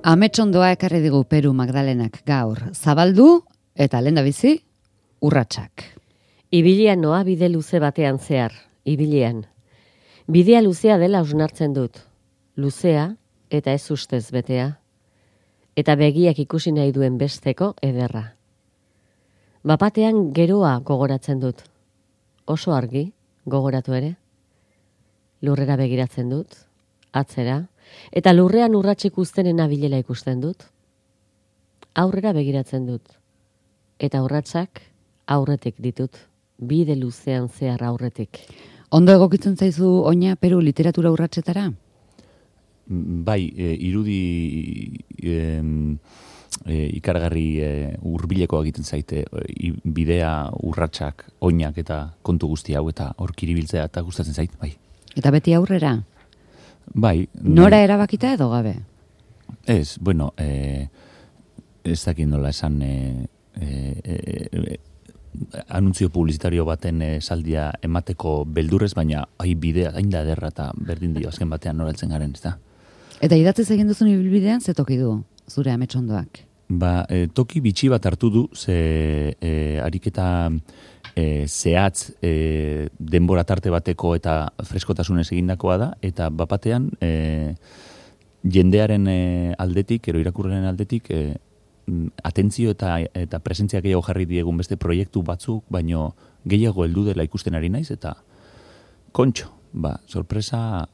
Ametsondoa ekarri digu Peru Magdalenak gaur. Zabaldu eta lehendabizi urratsak. Ibilian noa bide luze batean zehar, ibilian. Bidea luzea dela hausnartzen dut. Luzea eta ez ustez betea. Eta begiak ikusi nahi duen besteko ederra. Bapatean geroa gogoratzen dut. Oso argi, gogoratu ere. Lurrera begiratzen dut, atzera, eta lurrean urratsik uztenen abilela ikusten dut. Aurrera begiratzen dut. Eta urratsak aurretik ditut. Bide luzean zehar aurretik. Ondo egokitzen zaizu oina Peru literatura urratsetara? Bai, irudi ikargarri hurbileko egiten zaite bidea, urratsak, oinak eta kontu guzti hau eta hor kiribiltzea eta gustatzen zait, bai. Eta beti aurrera? Bai. Nora erabakita edo gabe? Ez, bueno, ez dakit nola esan anuntzio publizitario baten saldia emateko beldurrez, baina bidea hain da ederra eta berdin dio azken batean noraltzen garen, ez da? Eta idatziz egin duzun ibilbidean ze toki du zure ametsondoak? Toki bitxi bat hartu du, ze ariketa zehatz denbora tarte bateko eta freskotasunez egindakoa da, eta bapatean jendearen aldetik, ero irakurren aldetik, atentzio eta presentzia gehiago jarri diegun beste proiektu batzuk, baino gehiago heldu dela ikusten ari naiz, eta kontxo, sorpresa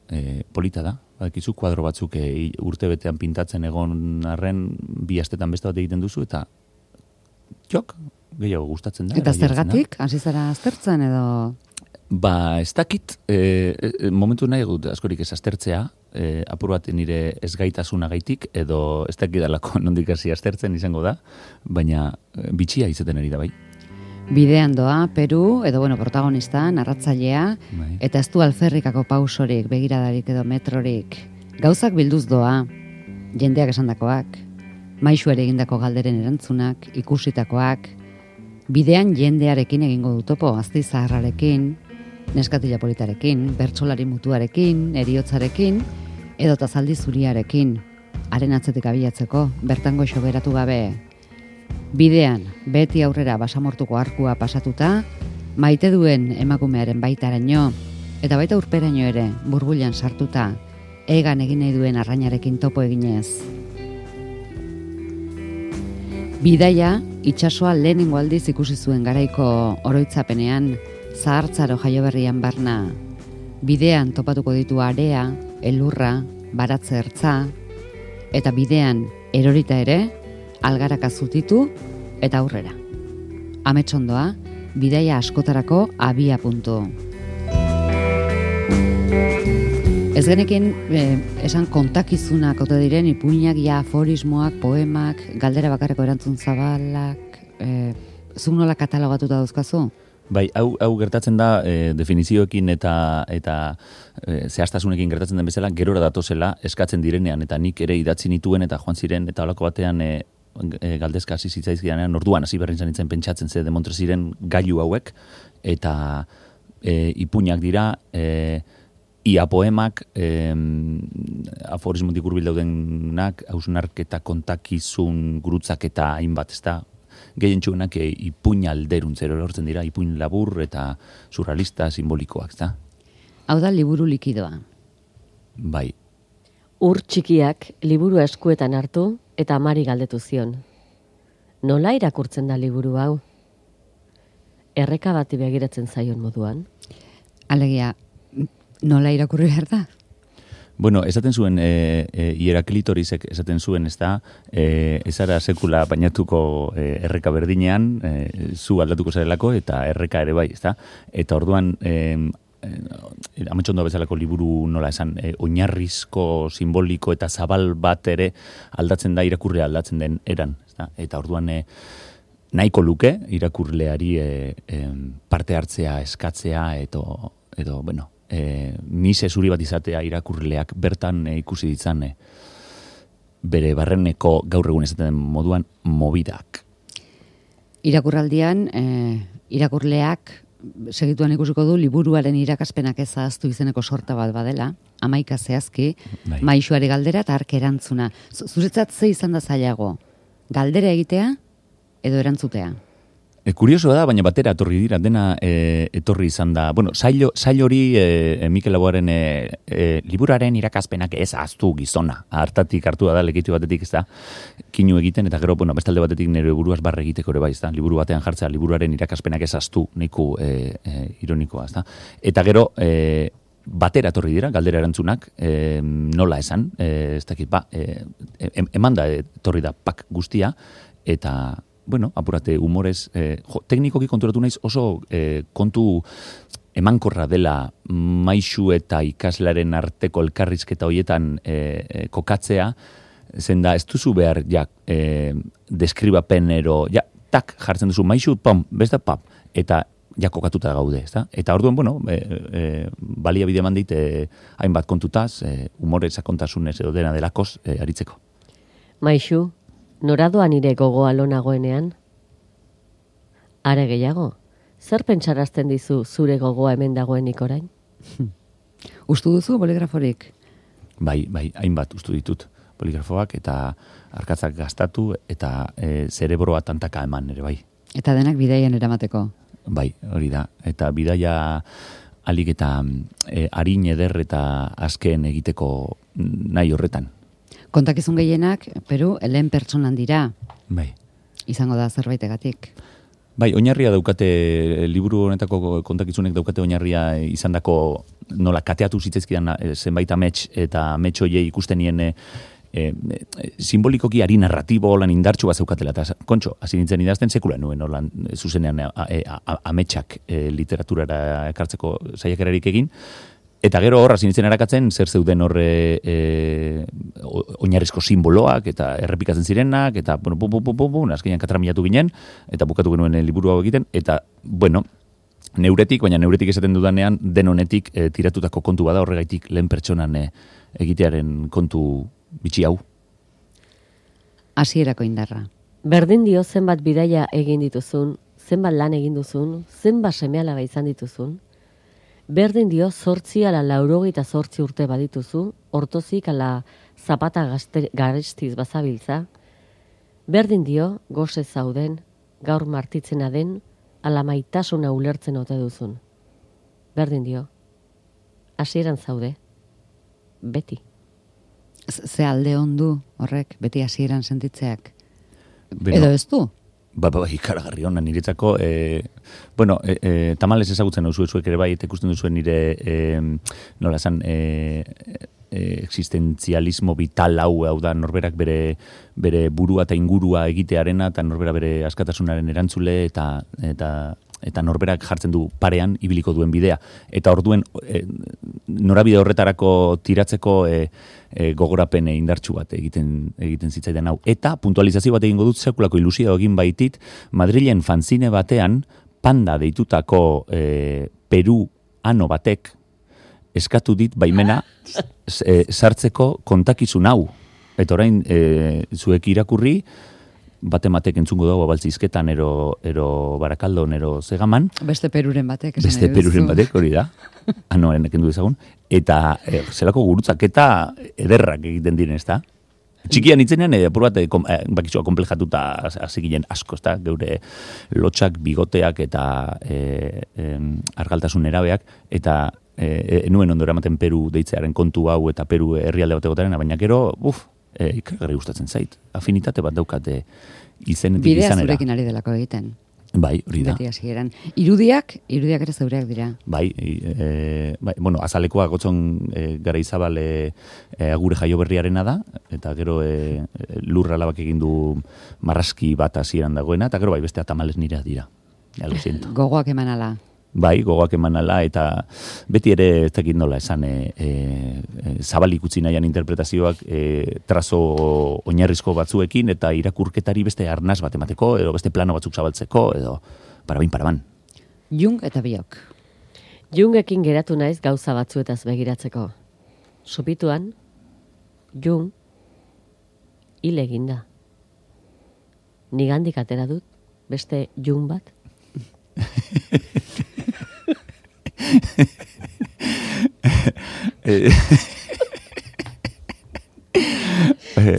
polita da. Bakizu kuadro batzuk urte betean pintatzen egon arren 2 astetan beste bat egiten duzu, eta gehiago gustatzen da. Eta zergatik? Hasi zara aztertzen edo? Ez dakit, momentu nahi dut askorik ez aztertzea, apur bat nire ezgaitasunagaitik, edo ez dakit dalako nondik hasi aztertzen izango da, baina bitxia izaten ari da bai. Bidean doa, Peru, edo protagonista, narratzailea, eta ez du alferrikako pausorik, begiradarik edo metrorik. Gauzak bilduz doa, jendeak esandakoak, maixu ere egindako galderen erantzunak, ikusitakoak, bidean jendearekin egingo du topo, azti zaharrarekin, neskatila politarekin, bertsolari mutuarekin, eriotzarekin, edota zaldi zuriarekin, haren atzetik abiatzeko, bertan goixo beratu gabe. Bidean, beti aurrera basamortuko arkua pasatuta, maite duen emakumearen baitaraino, eta baita urperaino ere, burbuilan sartuta, egan egin nahi duen arrainarekin topo eginez. Bidaia, itsasoa lehenengo aldiz ikusi zuen garaiko oroitzapenean, zahartzaro jaioberrian barna. Bidean topatuko ditu area, elurra, baratze ertza, eta bidean erorita ere, algaraka zutitu eta aurrera. Ametsondoa, bidaia askotarako abia puntu. Ez genekin esan kontakizunak ote diren, ipuinak, aforismoak, poemak, galdera bakarreko erantzun zabalak, zuk nola katalogatuta dauzkazu? Bai, hau gertatzen da definizioekin eta zehaztasunekin gertatzen den bezala, gerora datozela eskatzen direnean, eta nik ere idatzi nituen eta joan ziren, eta holako batean galdezka hasi zitzaizkidanean, orduan hasi berrin zanitzen pentsatzen ze demontre ziren gailu hauek, eta ipuinak dira, ia poemak, aforismotik hurbil daudenak, hausnarketa, kontakizun, gurutzak eta hainbat, ez da, gehientsuenak ipuin alderuntzero lortzen dira, ipuin labur eta surrealista, simbolikoak, ez da? Hau da liburu likidoa. Bai. Ur txikiak liburu eskuetan hartu eta amari galdetu zion. Nola irakurtzen da liburu hau? Erreka bati begiratzen zaion moduan? Alegia, nola irakurri behar da? Bueno, esaten zuen, Hieraklitoricek esaten zuen, ez da, ezara sekula bainatuko erreka berdinean, zu aldatuko zarelako, eta erreka ere bai, ez da? Eta orduan, ametsondo bezalako liburu nola esan, oinarrizko, simboliko eta zabal bat ere aldatzen da irakurlea aldatzen den eran, ez da? Eta orduan, nahiko luke irakurleari parte hartzea, eskatzea, edo bueno, mise zuri bat izatea irakurleak bertan ikusi ditzan bere barreneko gaur egun esaten den moduan mobidak. Irakurraldian, irakurleak segituan ikusiko du, liburuaren irakaspenak ez ahaztu izeneko sorta bat badela, 11 zehazki, maisuari galdera eta hark erantzuna. Zuretzat ze izan da zailago? Galdera egitea edo erantzutea? Kuriosoa da, baina batera etorri dira, dena etorri izan da. Bueno, sail hori Mikel Laboaren liburuaren irakaspenak ez ahaztu gizona. Hartatik hartu da lekitu batetik, ez da, kinu egiten, eta gero, bueno, bestalde batetik nire buruaz barre egiteko ere bai, ez da, liburu batean jartzea, liburuaren irakaspenak ez ahaztu, nahiko ironikoa, ez da. Eta gero, batera etorri dira, galdera erantzunak, nola esan, ez dakit, eman da etorri da pak guztia, eta bueno, apurate humorez, teknikoki konturatu naiz oso kontu emankorra dela maisu eta ikaslaren arteko elkarrizketa hoietan kokatzea, zen da ez duzu behar deskribapenero, tak jartzen duzu maisu, pam, beste pap, eta kokatuta gaude, ezta? Eta orduan, bueno, baliabide eman dit hainbat kontutaz, humore sakontasunez edo dena delakoz aritzeko. Maisu, noradoan nire gogoa lo nagoenean? Are gehiago, zer pentsarazten dizu zure gogoa hemen dagoenik orain? Ustu duzu boligraforik? Bai, hainbat ustu ditut boligrafoak eta arkatzak gastatu eta zerebroa tantaka eman ere bai. Eta denak bidaian eramateko? Bai, hori da. Eta bidaia alik eta arin eder eta azken egiteko nahi horretan. Kontakizun gehienak, Peru, lehen pertsonan dira. Bai. Izango da zerbaitegatik. Bai, oinarria daukate, liburu honetako kontakizunek daukate oinarria izandako nola kateatu zitzaizkidan zenbait amets eta amets hoiei ikusten nien simbolikoki ari narratibo holan indartsu bat zeukatela. Eta, kontxo, hasi nintzen idazten sekula nuen holan zuzenean ametsak literaturara ekartzeko saiakerarik egin. Eta gero horra zinitzen erakatzen, zer zeuden horre oinarrizko simboloak, eta errepikatzen zirenak, eta, bueno, azkenean katramilatu ginen, eta bukatu genuen liburu hau egiten, eta, bueno, baina neuretik esaten dudanean, denonetik tiratutako kontu bada horregaitik lehen pertsonan egitearen kontu bitxi hau. Hasierako indarra. Berdin dio zenbat bidaia egin dituzun, zenbat lan egin duzun, zenbat seme-alaba izan dituzun, berdin dio 8 ala 98 urte badituzu, ortozik ala zapata garestiz bazabiltza, berdin dio goze zauden, gaur martitzena den, ala maitasuna ulertzen ote duzun. Berdin dio, hasieran zaude, beti. Ze alde ondu horrek, beti hasieran sentitzeak? Edo ez du? Ikaragarri hona niretzako, tamales ezagutzen zuek ere bai, eta ikusten duzuen nire, nola esan, existentzialismo vital hau da norberak bere burua eta ingurua egitearena, eta norbera bere askatasunaren erantzule, eta norberak jartzen du parean ibiliko duen bidea. Eta orduen norabide horretarako tiratzeko gogorapen indartsu bat egiten zitzaidan hau. Eta puntualizazio bat egingo dut sekulako ilusio egin baitit, Madrilen fanzine batean Panda deitutako Peru ano batek eskatu dit baimena sartzeko kontakizun hau. Eta orain zuek irakurri, batematek entzungo dago baltzizketan ero Barakaldon, ero Zegaman. Beste Peruren batek. Beste Peruren batek, hori da. Anoaren ekendu dezagun. Eta zelako gurutzaketa ederrak egiten diren, ez da? Txikian itzenean, apur bat, bakizua komplejatuta hasi ginen asko, ez da? Geure lotxak, bigoteak eta argaltasun erabeak, eta nuen ondo eramaten Peru deitzearen kontu hau eta Peru herrialde bat egotaren, baina gero, ikaragarri gustatzen zait. Afinitate bat daukate izenetik izanera. Bidea zurekin ari delako egiten. Bai, hori da. Beti hasieran. Irudiak ere zeureak dira. Bai, bueno, azalekoa gotzon Garaizabal agure jaioberriarena da, eta gero lurra labak egin du marraski bat hasieran dagoena, eta gero bai, beste tamales nirea dira. Ja, lo siento. Gogoak eman ala. Bai, gogoak eman ala, eta beti ere ez dakit nola esan zabalik utzi nahian interpretazioak trazo oinarrizko batzuekin eta irakurketari beste arnaz bat emateko, edo beste plano batzuk zabaltzeko, edo paraban. Jung eta biok. Jungekin geratu naiz gauza batzuetaz begiratzeko. Supituan, Jung hil eginda. Nigandik atera dut, beste Jung bat.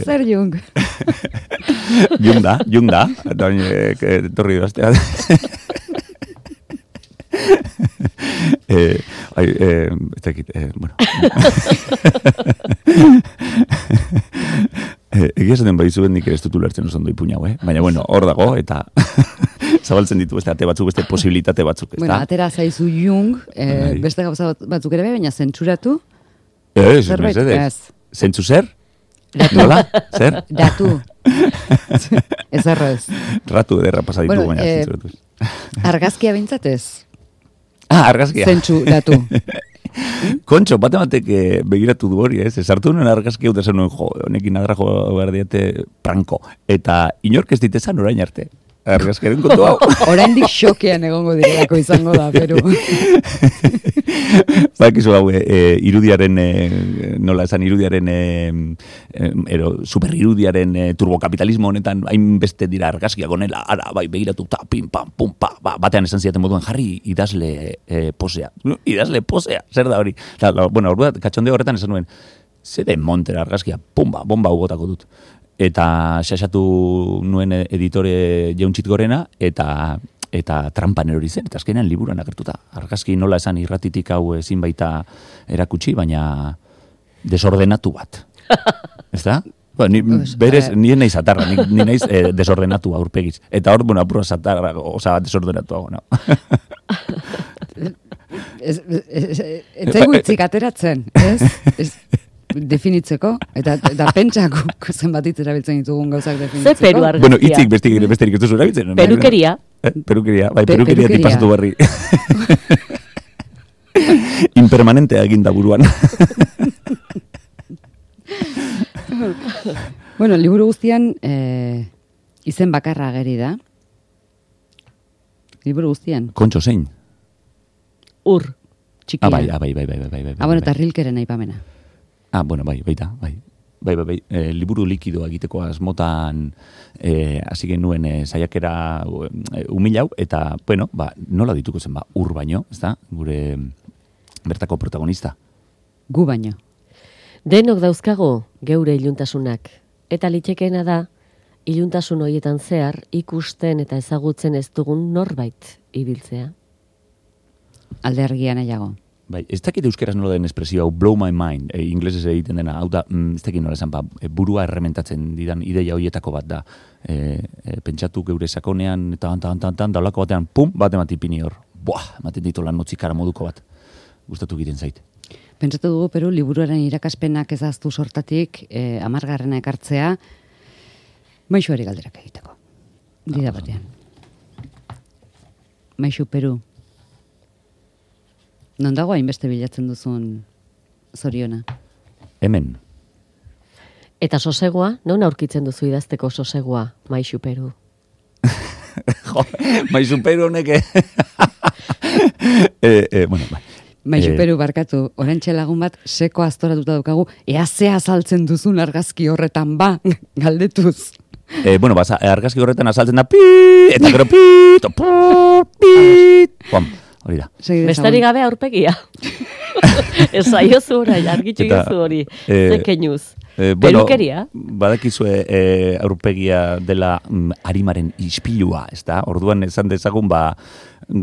Zer Jung? Jung da. Torri daztea. Ez dakit, bueno. Egia esaten bai zuen nik ez dut ulertzen oso ondo ipuñau, baina bueno, hor dago, eta zabaltzen ditu beste ate batzuk, beste posibilitate batzuk, ez da? Bueno, atera zaizu Jung, beste gauza batzuk ere baina zentzuratu? Ez, mesedez. Zentzu zer? Ratu. Nola? Zer? Ratu. Ez errez. Ratu ederra pasaditu, Bueno, baina zentzuratu. Argazkia bintzatez? Argazkia. Zentzu, ratu. Kontxo, batematek begiratu du hori, ez? Esartu nuen argazkia eta zen nuen, honekin adra behar diate pranko. Eta inork ez ditezan orain arte. Argazkiaren kontu hau. Oraindik xokean egongo direlako izango da, Peru. Bakizu hau, irudiaren, nola esan, irudiaren, super irudiaren turbokapitalismo honetan, hainbeste dira argazkiak onela, ara, bai, begiratu, ta, pim, pam, pum, pa, batean esan ziaten moduan, jarri idazle posea. Idazle posea, zer da hori? Bueno, katxonde horretan esan nuen, zede montera argazkia, pumba, bomba ugotako dut. Eta xaxatu nuen editore Jauntxit Gorena, eta trampan erori zen, eta azkenean liburuan agertuta. Argazki nola esan irratitik hau ezin baita erakutsi, baina desordenatu bat. Ez da? Bueno, ni naiz atarra, ni naiz desordenatu aurpegiz. Eta hor, bueno, apurra zatarra, oza, desordenatu hau, no? Ez zaigu itzik ateratzen, ez? Definitzeko, eta pentsako zenbat hitz erabiltzen ditugun gauzak definitzeko. Ze Peru argazkia? Bueno, hitzik besterik ez duzu erabiltzen. Perukeria. Perukeria, bai, perukeria tipazatu berri. Impermanentea eginda buruan. Bueno, liburu guztian izen bakarra ageri da. Liburu guztian. Kontxo zein? Ur, txikia. Bai. Bueno, eta Rilkeren aipamena. Bueno, baita. Bai. Liburu likidoa egiteko asmotan hasi genuen saiakera umilau, eta, bueno, nola dituko zen, ur baino, ez da, gure bertako protagonista. Gu baino. Denok dauzkago geure iluntasunak, eta litxekeena da, iluntasun horietan zehar ikusten eta ezagutzen ez dugun norbait ibiltzea. Alde argia nahiago. Bai, ez dakit euskeraz nola den espresio hau, blow my mind, inglesez egiten dena, hau da, ez dakit nola esan, burua errementatzen didan ideia horietako bat da. Pentsatu geure sakonean, eta daulako batean, pum, bat ematipini hor. Ematen ditu lan notzikara moduko bat. Gustatu egiten zait. Pentsatu dugu, Peru, liburuaren irakaspenak ezaztu sortatik, 10. ekartzea, maixuari galderak egiteko. Dida batean. Maixu, Peru. Non dago hainbeste bilatzen duzun zoriona? Hemen. Eta sosegua, non aurkitzen duzu idazteko sosegua, Maixu Peru? Maixu Peru honek... Bueno, bai. Maixu Peru barkatu, orantxe lagun bat seko aztoratuta daukagu, ea ze azaltzen duzun argazki horretan galdetuz. Bueno, argazki horretan azaltzen da eta gero hori da. Bestari gabe aurpegia. Ez aiozu orai, argitxu gizu hori. Zekenuz. Perukeria? Badakizue aurpegia dela arimaren ispilua, ez da? Orduan esan dezagun,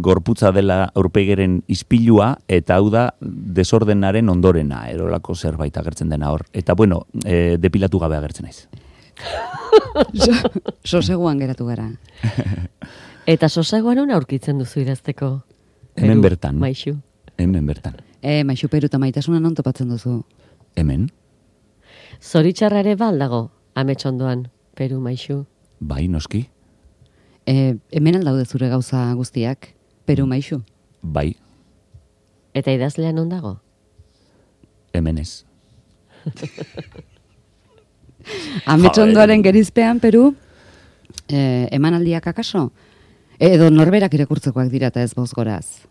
gorputza dela aurpegeren ispilua, eta hau da desordenaren ondorena, erolako zerbait agertzen dena hor. Eta bueno, depilatu gabe agertzen naiz. Soseguan geratu gara. Eta soseguan hona aurkitzen duzu idazteko? Hemen bertan. Maixu. Hemen bertan. Maixu Peru eta maitasuna non topatzen duzu? Hemen. Zoritxarra ere baldago, ametsondoan, Peru, Maixu. Bai, noski. Hemen aldaude zure gauza guztiak, Peru, Maixu. Bai. Eta idazlean non dago? Hemen ez. Ametsondoaren gerizpean, Peru, emanaldiak akaso? Edo norberak irakurtzekoak dira eta ez bozgoraz?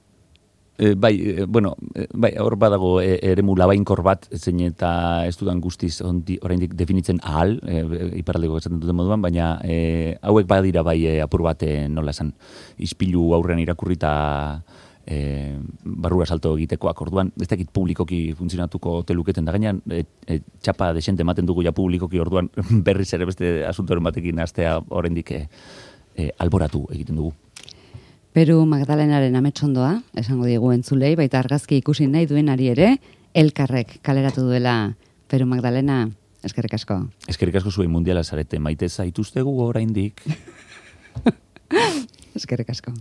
Bai, hor badago eremu labainkor bat, zein eta ez dudan guztiz oraindik definitzen ahal, iparraldeko esaten duten moduan, baina hauek badira bai apur bat nola esan, ispilu aurrean irakurrita barrura salto egitekoak, orduan, ez dakit publikoki funtzionatuko ote luketen, da gainean, txapa desente ematen dugu ja publikoki, orduan berriz ere beste asuntoren batekin astea oraindik alboratu egiten dugu. Peru Magdalenaren ametsondoa, esango diegu entzulei, baita argazki ikusi nahi duenari ere, elkarrek kaleratu duela Peru Magdalena, eskerrik asko. Eskerrik asko zuen mundiala zarete, maite zaituztegu oraindik. Eskerrik asko.